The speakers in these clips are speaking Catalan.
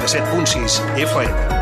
87.6 FM.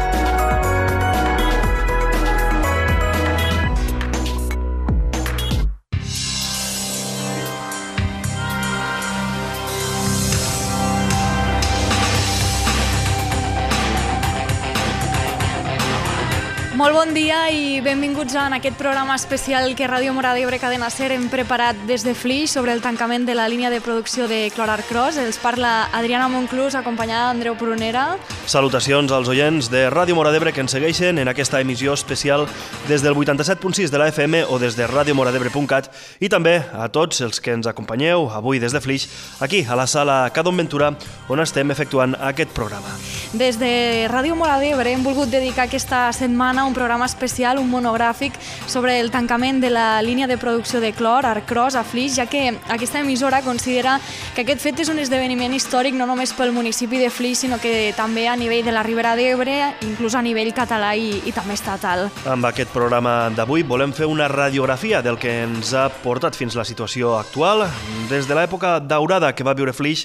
Molt bon dia i benvinguts en aquest programa especial que Ràdio Móra d'Ebre Cadena SER hem preparat des de Flix sobre el tancament de la línia de producció de Clor Arcros. Els parla Adriana Monclús, acompanyada d'Andreu Prunera. Salutacions als oients de Ràdio Móra d'Ebre que ens segueixen en aquesta emissió especial des del 87.6 de la FM o des de radiomoradebre.cat i també a tots els que ens acompanyeu avui des de Flix, aquí a la sala Cadon Ventura, on estem efectuant aquest programa. Des de Ràdio Móra d'Ebre hem volgut dedicar aquesta setmana un programa especial, un monogràfic sobre el tancament de la línia de producció de Clor Arcros a Flix, ja que aquesta emissora considera que aquest fet és un esdeveniment històric no només pel municipi de Flix, sinó que també a nivell de la Ribera d'Ebre, inclús a nivell català i també estatal. Amb aquest programa d'avui volem fer una radiografia del que ens ha portat fins a la situació actual, des de l'època daurada que va viure Flix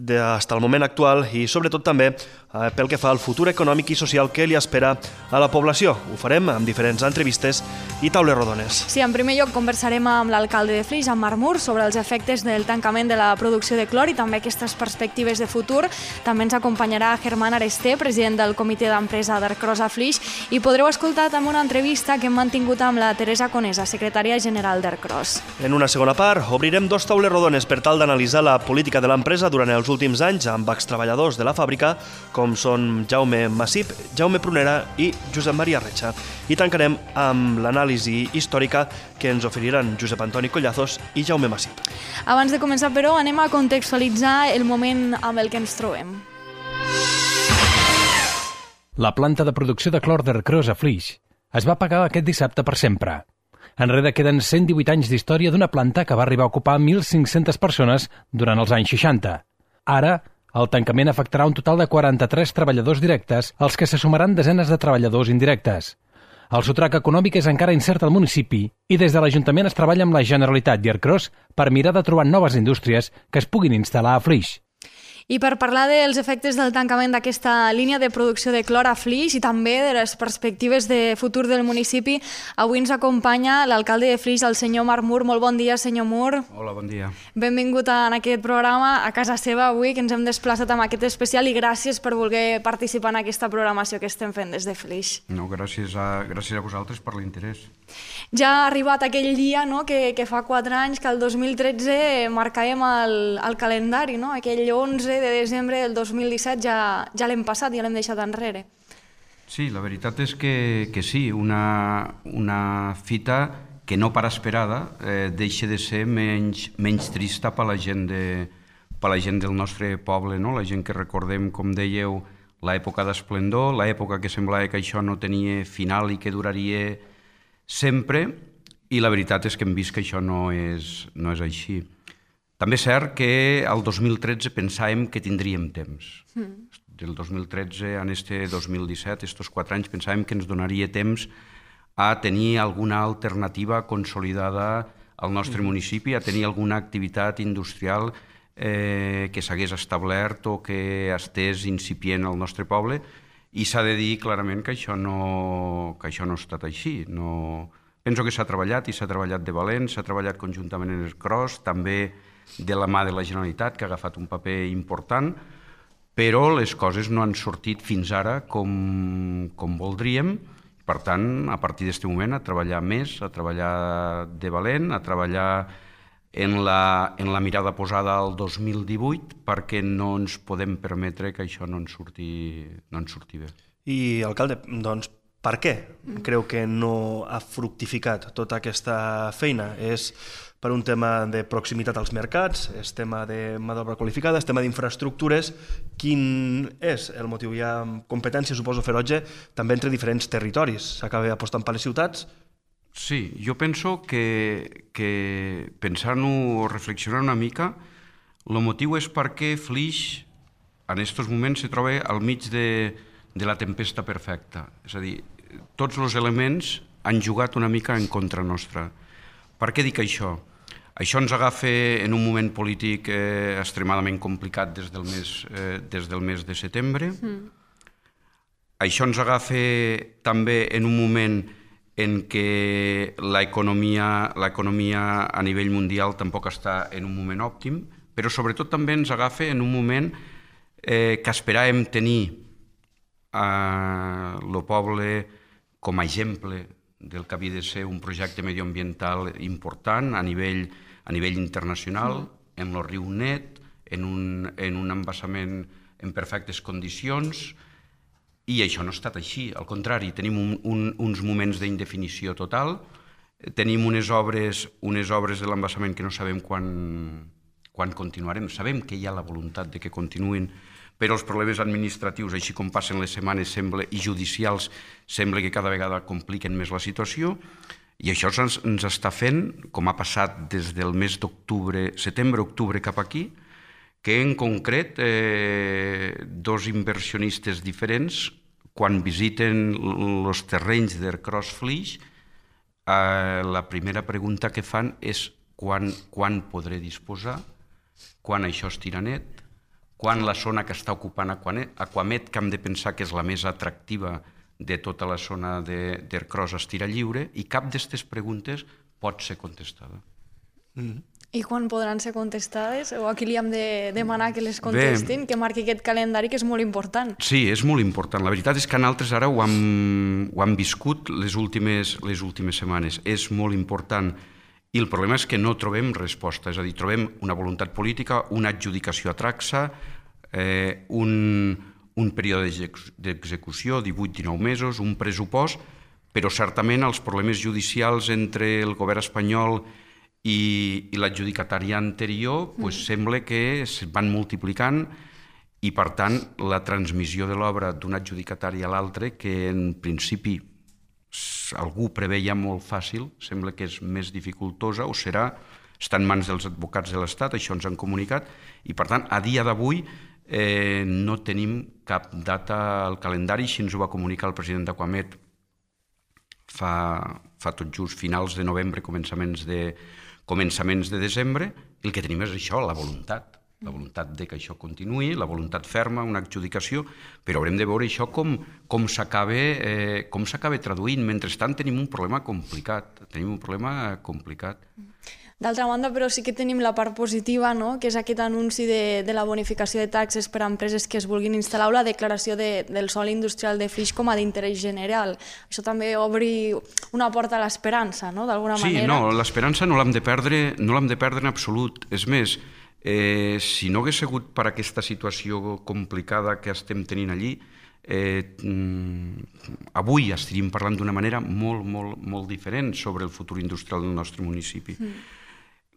fins al moment actual i sobretot també pel que fa al futur econòmic i social que li espera a la població. Ho farem amb diferents entrevistes i taules rodones. Sí, en primer lloc conversarem amb l'alcalde de Flix, amb Marc Mur, sobre els efectes del tancament de la producció de clor i també aquestes perspectives de futur. També ens acompanyarà Germán Aresté, president del comitè d'empresa d'Arcros a Flix, i podreu escoltar també una entrevista que hem mantingut amb la Teresa Conesa, secretària general d'Arcros. En una segona part obrirem dos taules rodones per tal d'analitzar la política de l'empresa durant els últims anys amb extreballadors de la fàbrica, com són Jaume Massip, Jaume Prunera i Josep Maria Retxa. I tancarem amb l'anàlisi històrica que ens oferiran Josep Antoni Collazos i Jaume Massip. Abans de començar, però, anem a contextualitzar el moment amb el que ens trobem. La planta de producció de clor d'Arcros a Flix es va apagar aquest dissabte per sempre. Enrere queden 118 anys d'història d'una planta que va arribar a ocupar 1.500 persones durant els anys 60. Ara, el tancament afectarà un total de 43 treballadors directes, als que se sumaran desenes de treballadors indirectes. El sotrac econòmic és encara incert al municipi i des de l'Ajuntament es treballa amb la Generalitat i Arcros per mirar de trobar noves indústries que es puguin instal·lar a Flix. I per parlar dels efectes del tancament d'aquesta línia de producció de clor a Flix i també de les perspectives de futur del municipi, avui ens acompanya l'alcalde de Flix, el senyor Marc Mur. Molt bon dia, senyor Mur. Hola, bon dia. Benvingut en aquest programa, a casa seva avui, que ens hem desplaçat amb aquest especial, i gràcies per voler participar en aquesta programació que estem fent des de Flix. No, gràcies a vosaltres per l'interès. Ja ha arribat aquell dia, no?, que fa 4 anys, que el 2013 marcàvem el calendari, no?, aquell 11 de desembre del 2017 ja l'hem passat, ja l'hem deixat enrere. Sí, la veritat és que sí, una fita que no per esperada deixa de ser menys trista per la gent del nostre poble, no? La gent que recordem, com dèieu, l'època d'esplendor, l'època que semblava que això no tenia final i que duraria sempre, i la veritat és que hem vist que això no és així. També és cert que al 2013 pensàvem que tindríem temps. Del 2013 a este 2017, estos 4 anys, pensàvem que ens donaria temps a tenir alguna alternativa consolidada al nostre municipi, a tenir alguna activitat industrial que s'hagués establert o que estés incipient al nostre poble, i s'ha de dir clarament que això no ha estat així. Penso que s'ha treballat i s'ha treballat de valent, s'ha treballat conjuntament en Arcros, també de la mà de la Generalitat, que ha agafat un paper important, però les coses no han sortit fins ara com voldríem. Per tant, a partir d'aquest moment, a treballar més, a treballar de valent, a treballar en la mirada posada al 2018, perquè no ens podem permetre que això no ens surti bé. I, alcalde, doncs, per què creu que no ha fructificat tota aquesta feina? És per un tema de proximitat als mercats, és tema de mà d'obra qualificada, és tema d'infraestructures. Quin és el motiu? Hi ha competència, suposo, ferotge, també entre diferents territoris. S'acaba apostant per les ciutats? Sí, jo penso que pensant-ho o reflexionant una mica, el motiu és perquè Flix en aquests moments se troba al mig de la tempesta perfecta. És a dir, tots els elements han jugat una mica en contra nostra. Per què dic això? Això ens agafa en un moment polític extremadament complicat des del mes de setembre. Això ens agafa també en un moment en què l'economia a nivell mundial tampoc està en un moment òptim, però sobretot també ens agafa en un moment que esperàvem tenir el poble com a exemple del que havia de ser un projecte medioambiental important a nivell internacional, en el riu net, en un embassament en perfectes condicions, i això no ha estat així. Al contrari, tenim uns moments d'indefinició total, tenim unes obres de l'embassament que no sabem quan continuarem. Sabem que hi ha la voluntat de que continuïn, però els problemes administratius, així com passen les setmanes i judicials, sembla que cada vegada compliquen més la situació, i això ens està fent, com ha passat des del mes d'octubre, setembre-octubre cap aquí, que en concret dos inversionistes diferents, quan visiten els terrenys d'Aircross Flix, la primera pregunta que fan és quan podré disposar, quan això estirà net, quan la zona que està ocupant Aquamet, que hem de pensar que és la més atractiva de tota la zona d'Aircross, estirà lliure, i cap d'aquestes preguntes pot ser contestada. I quan podran ser contestades? O aquí li hem de demanar que les contestin, que marqui aquest calendari, que és molt important. Sí, és molt important. La veritat és que nosaltres ara ho hem viscut les últimes setmanes. És molt important. I el problema és que no trobem resposta. És a dir, trobem una voluntat política, una adjudicació a Traxa, un període d'execució, 18-19 mesos, un pressupost, però certament els problemes judicials entre el govern espanyol i l'adjudicatària anterior sembla que es van multiplicant, i per tant la transmissió de l'obra d'un adjudicatari a l'altre, que en principi algú preveia molt fàcil, sembla que és més dificultosa, o serà, està en mans dels advocats de l'Estat, això ens han comunicat, i per tant a dia d'avui no tenim cap data al calendari. Així ens ho va comunicar el president d'Aquamet fa tot just finals de novembre, començaments de desembre. El que tenim és això, la voluntat de que això continuï, la voluntat ferma, una adjudicació, però haurem de veure això com s'acaba traduint. Mentrestant tenim un problema complicat. D'altra banda, però sí que tenim la part positiva, no?, que és aquest anunci de la bonificació de taxes per a empreses que es vulguin instal·lar, o la declaració del sòl industrial de Flix com a d'interès general. Això també obri una porta a l'esperança, no?, d'alguna manera. Sí, no, l'esperança no l'hem de perdre en absolut. És més, si no hagués sigut per aquesta situació complicada que estem tenint allí, avui estaríem parlant d'una manera molt, molt, molt diferent sobre el futur industrial del nostre municipi.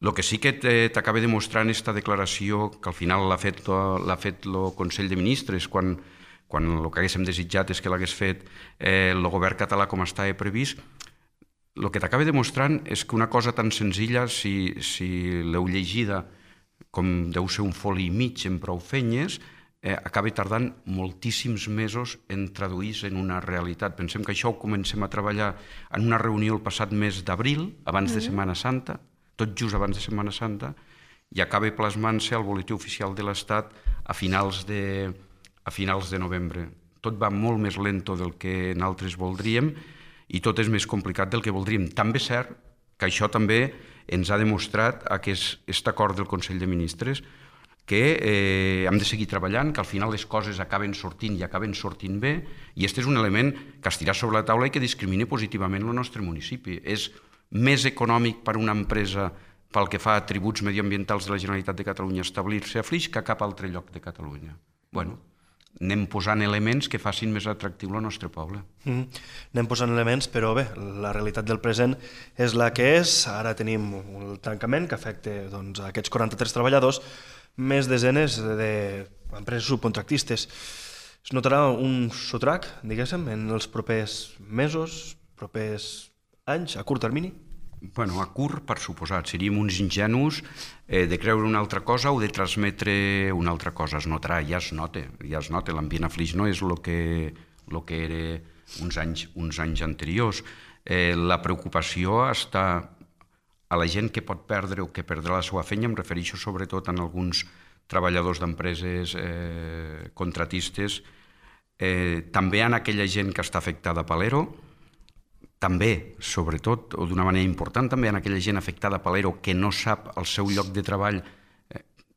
El que sí que t'acaba demostrant aquesta declaració, que al final l'ha fet el Consell de Ministres, quan el que haguéssim desitjat és que l'hagués fet el govern català com estava previst, el que t'acaba demostrant és que una cosa tan senzilla, si l'heu llegida, com deu ser un foli i mig en prou feines, acaba tardant moltíssims mesos en traduir-se en una realitat. Pensem que això ho comencem a treballar en una reunió el passat mes d'abril, abans de Setmana Santa, tot just abans de Setmana Santa, i acaba plasmant-se al Boletí Oficial de l'Estat a finals de novembre. Tot va molt més lento del que nosaltres voldríem i tot és més complicat del que voldríem. També és cert que això també ens ha demostrat aquest acord del Consell de Ministres, que hem de seguir treballant, que al final les coses acaben sortint i acaben sortint bé, i aquest és un element que es tirà sobre la taula i que discrimina positivament el nostre municipi. És més econòmic per a una empresa pel que fa a tributs mediambientals de la Generalitat de Catalunya establir-se a Flix que a cap altre lloc de Catalunya. Bueno, anem posant elements que facin més atractiu el nostre poble. Anem posant elements, però bé, la realitat del present és la que és. Ara tenim el tancament que afecta aquests 43 treballadors, més desenes d'empreses subcontractistes. Es notarà un sotrac, diguéssim, en els propers mesos, propers anys, a curt termini? Bueno, a curt, per suposat. Seríem uns ingenus de creure una altra cosa o de transmetre una altra cosa. Es notarà, ja es nota. L'ambient a Flix no és el que era uns anys anteriors. La preocupació està a la gent que pot perdre o que perdrà la seva feina. Em refereixo sobretot a alguns treballadors d'empreses contratistes també en aquella gent que està afectada per l'ERO, també, sobretot, o d'una manera important, també en aquella gent afectada per l'ERO que no sap el seu lloc de treball,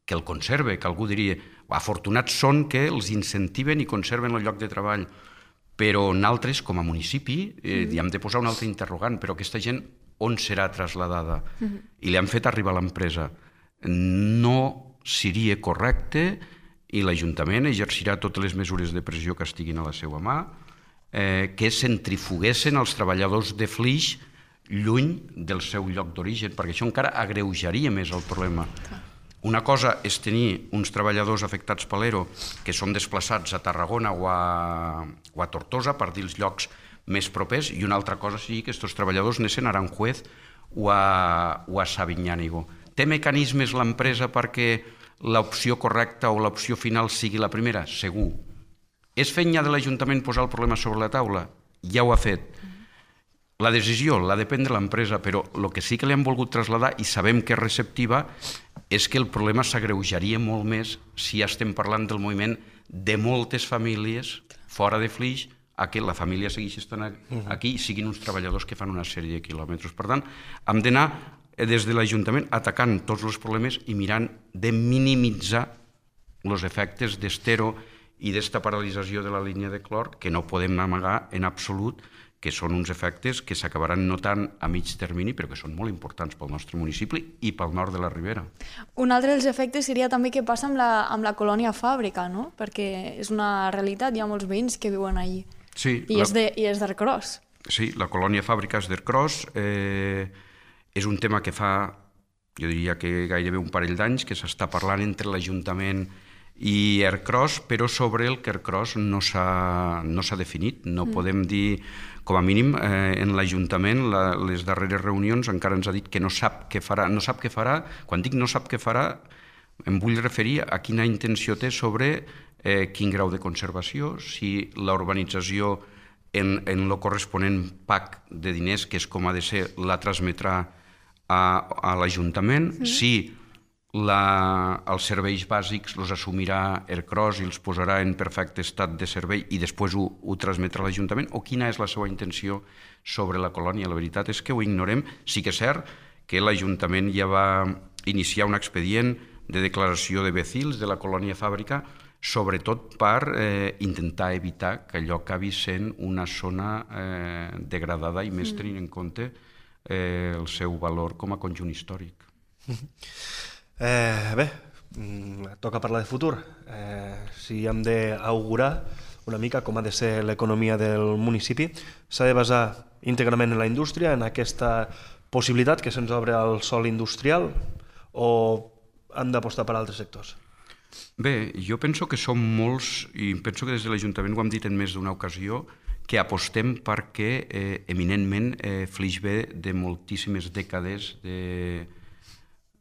que el conserve, que algú diria, afortunats són que els incentiven i conserven el lloc de treball, però nosaltres, com a municipi, hi hem de posar un altre interrogant, però aquesta gent on serà trasladada? I li han fet arribar a l'empresa. No seria correcte i l'Ajuntament exercirà totes les mesures de pressió que estiguin a la seva mà, que centrifuguessin els treballadors de Flix lluny del seu lloc d'origen, perquè això encara agreujaria més el problema. Una cosa és tenir uns treballadors afectats per l'ERO que són desplaçats a Tarragona o a Tortosa per dir els llocs més propers, i una altra cosa sigui que aquests treballadors anessin a Aranjuez o a Sabiñánigo. Té mecanismes l'empresa perquè l'opció correcta o l'opció final sigui la primera? Segur. És feina de l'Ajuntament posar el problema sobre la taula? Ja ho ha fet. La decisió l'ha de prendre l'empresa, però el que sí que li han volgut traslladar, i sabem que és receptiva, és que el problema s'agreujaria molt més si ja estem parlant del moviment de moltes famílies fora de Flix, a que la família segueixi estant aquí i siguin uns treballadors que fan una sèrie de quilòmetres. Per tant, hem d'anar des de l'Ajuntament atacant tots els problemes i mirant de minimitzar els efectes d'estero i d'esta paralització de la línia de clor, que no podem amagar en absolut, que són uns efectes que s'acabaran notant a mig termini, però que són molt importants pel nostre municipi i pel nord de la Ribera. Un altre dels efectes seria també què passa amb la colònia fàbrica, no? Perquè és una realitat, hi ha molts veïns que viuen allí. Sí, I és d'Ercros. Sí, la colònia fàbrica és d'Ercros. És un tema que fa, jo diria que gairebé un parell d'anys, que s'està parlant entre l'Ajuntament i Ercros, però sobre el que Ercros no s'ha definit. No podem dir, com a mínim, en l'Ajuntament, les darreres reunions encara ens ha dit que no sap què farà. No sap què farà. Quan dic no sap què farà, em vull referir a quina intenció té sobre quin grau de conservació, si la urbanització en el corresponent PAC de diners, que és com ha de ser, la transmetrà a l'Ajuntament, si els serveis bàsics els assumirà Ercros i els posarà en perfecte estat de servei i després ho transmetrà a l'Ajuntament, o quina és la seva intenció sobre la colònia. La veritat és que ho ignorem. Sí que és cert que l'Ajuntament ja va iniciar un expedient de declaració de becils de la colònia fàbrica, sobretot per intentar evitar que allò acabi sent una zona degradada i més tenint en compte el seu valor com a conjunt històric. Bé, toca parlar de futur. Si hem d'augurar una mica com ha de ser l'economia del municipi, s'ha de basar íntegrament en la indústria, en aquesta possibilitat que se'ns obre al sòl industrial, o hem d'apostar per altres sectors? Bé, jo penso que som molts, i penso que des de l'Ajuntament ho hem dit en més d'una ocasió, que apostem perquè eminentment Flix ve de moltíssimes dècades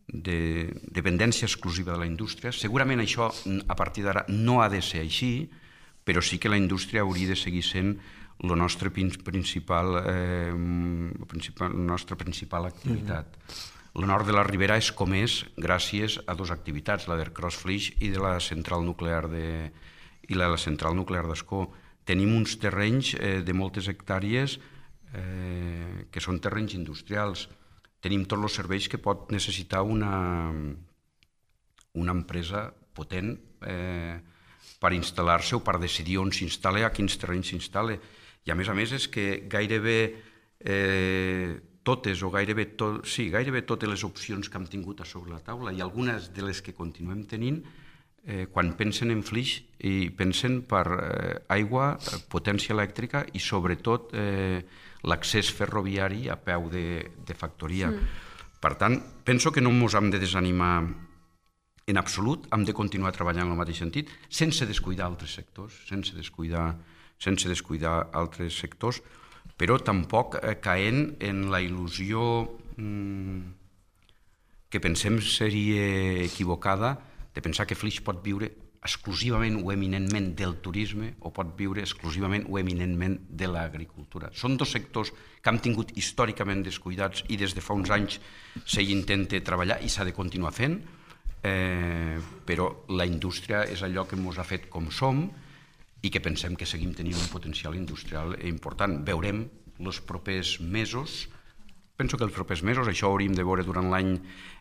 de dependència exclusiva de la indústria. Segurament això a partir d'ara no ha de ser així, però sí que la indústria hauria de seguir sent la nostra principal activitat. El nord de la Ribera és com és gràcies a dues activitats, la d'Ercros Flix i de la central nuclear d'Ascó. Tenim uns terrenys de moltes hectàrees que són terrenys industrials. Tenim tots els serveis que pot necessitar una empresa potent per instal·lar-se o per decidir on s'instal·la, a quins terrenys s'instal·la. I a més és que gairebé totes les opcions que hem tingut a sobre la taula i algunes de les que continuem tenint, quan pensen en Flix i pensen per aigua, potència elèctrica i sobretot l'accés ferroviari a peu de factoria. Per tant, penso que no ens hem de desanimar en absolut, hem de continuar treballant en el mateix sentit, sense descuidar altres sectors, però tampoc caent en la il·lusió que pensem seria equivocada de pensar que Flix pot viure exclusivament o eminentment del turisme o pot viure exclusivament o eminentment de l'agricultura. Són dos sectors que hem tingut històricament descuidats i des de fa uns anys s'hi intenta treballar i s'ha de continuar fent, però la indústria és allò que ens ha fet com som i que pensem que seguim tenint un potencial industrial important. Veurem els propers mesos, penso que els propers mesos, això hauríem de veure durant l'any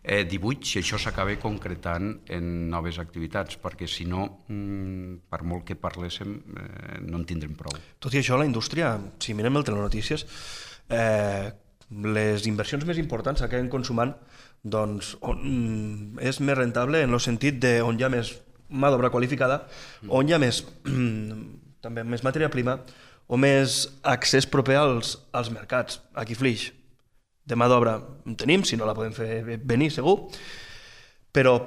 18, si això s'acaba concretant en noves activitats, perquè si no, per molt que parléssim, no en tindrem prou. Tot i això, la indústria, si mirem el telenotícies, les inversions més importants s'acaben consumant doncs, on és més rentable en el sentit d'on hi ha més mà d'obra qualificada, on hi ha més, també més matèria prima, o més accés proper als mercats. Aquí Flix, de mà d'obra en tenim, si no la podem fer venir segur, però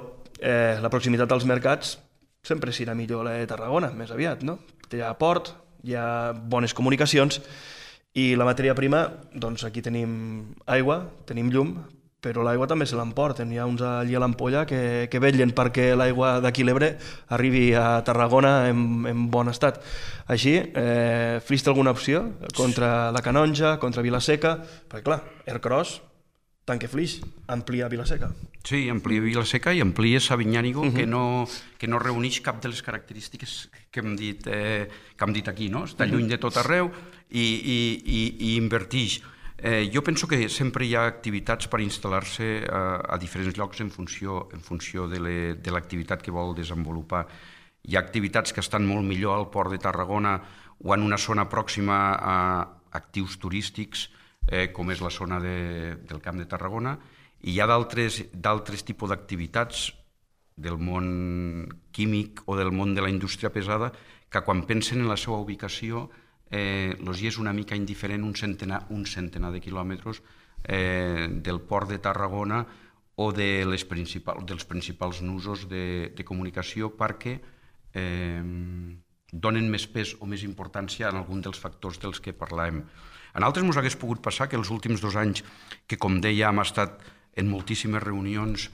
la proximitat als mercats sempre serà millor la de Tarragona, més aviat, no? Hi ha port, hi ha bones comunicacions i la matèria prima, doncs aquí tenim aigua, tenim llum, però l'aigua també se l'emporten. Hi ha uns allí a l'Ampolla que vetllen perquè l'aigua d'aquí l'Ebre arribi a Tarragona en bon estat. Així, Flix té alguna opció contra la Canonja, contra Vila-seca? Perquè clar, Ercros, tant que Flix, amplia Vila-seca. Sí, amplia Vila-seca i amplia Sabinyànigo, que no reuneix cap de les característiques que hem dit aquí, no? Està lluny de tot arreu i inverteix. Jo penso que sempre hi ha activitats per instal·lar-se a diferents llocs en funció de l'activitat que vol desenvolupar. Hi ha activitats que estan molt millor al Port de Tarragona o en una zona pròxima a actius turístics, com és la zona del Camp de Tarragona, i hi ha d'altres tipus d'activitats del món químic o del món de la indústria pesada que quan pensen en la seva ubicació els és una mica indiferent un centenar de quilòmetres del port de Tarragona o dels principals nusos de comunicació perquè donen més pes o més importància en algun dels factors dels que parlàvem. En altres ens hagués pogut passar que els últims 2 anys, que com deia hem estat en moltíssimes reunions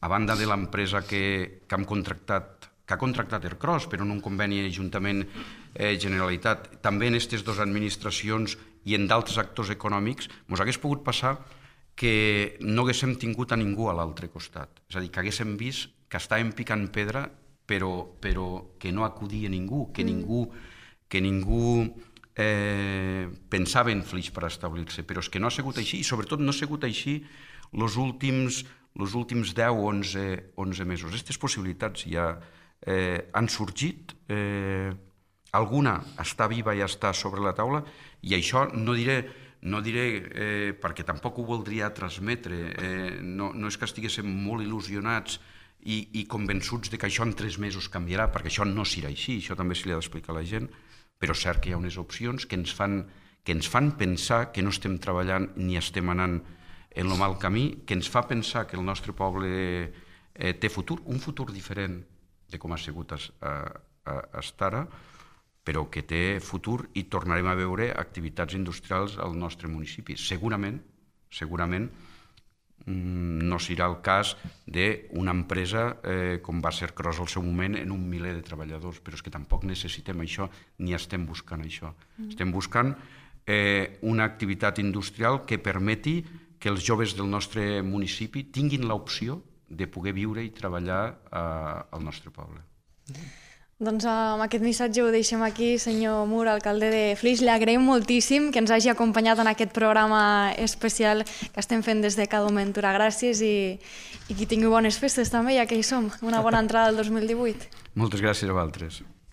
a banda de l'empresa que ha contractat Ercros, però en un conveni Ajuntament Generalitat, també en aquestes 2 administracions i en d'altres actors econòmics, ens hagués pogut passar que no haguéssim tingut a ningú a l'altre costat. És a dir, que haguéssim vist que estàvem picant pedra, però que no acudia ningú, que ningú pensava en Flix per establir-se. Però és que no ha sigut així, i sobretot no ha sigut així els últims 10 o 11 mesos. Aquestes possibilitats ja han sorgit, alguna està viva i està sobre la taula, i això no diré perquè tampoc ho voldria transmetre, no és que estiguéssim molt il·lusionats i convençuts que això en 3 mesos canviarà, perquè això no serà així, això també se li ha d'explicar a la gent, però és cert que hi ha unes opcions que ens fan pensar que no estem treballant ni estem anant en el mal camí, que ens fa pensar que el nostre poble té futur, un futur diferent de com ha sigut fins ara, però que té futur i tornarem a veure activitats industrials al nostre municipi. Segurament no serà el cas d'una empresa com va ser Ercros al seu moment en un miler de treballadors, però és que tampoc necessitem això ni estem buscant això. Estem buscant una activitat industrial que permeti que els joves del nostre municipi tinguin l'opció de poder viure i treballar al nostre poble. Doncs amb aquest missatge ho deixem aquí, senyor Mur, alcalde de Flix. Li agraïm moltíssim que ens hagi acompanyat en aquest programa especial que estem fent des de Cadomentura. Gràcies i que tingui bones festes també, ja que hi som. Una bona entrada del 2018. Moltes gràcies a vosaltres.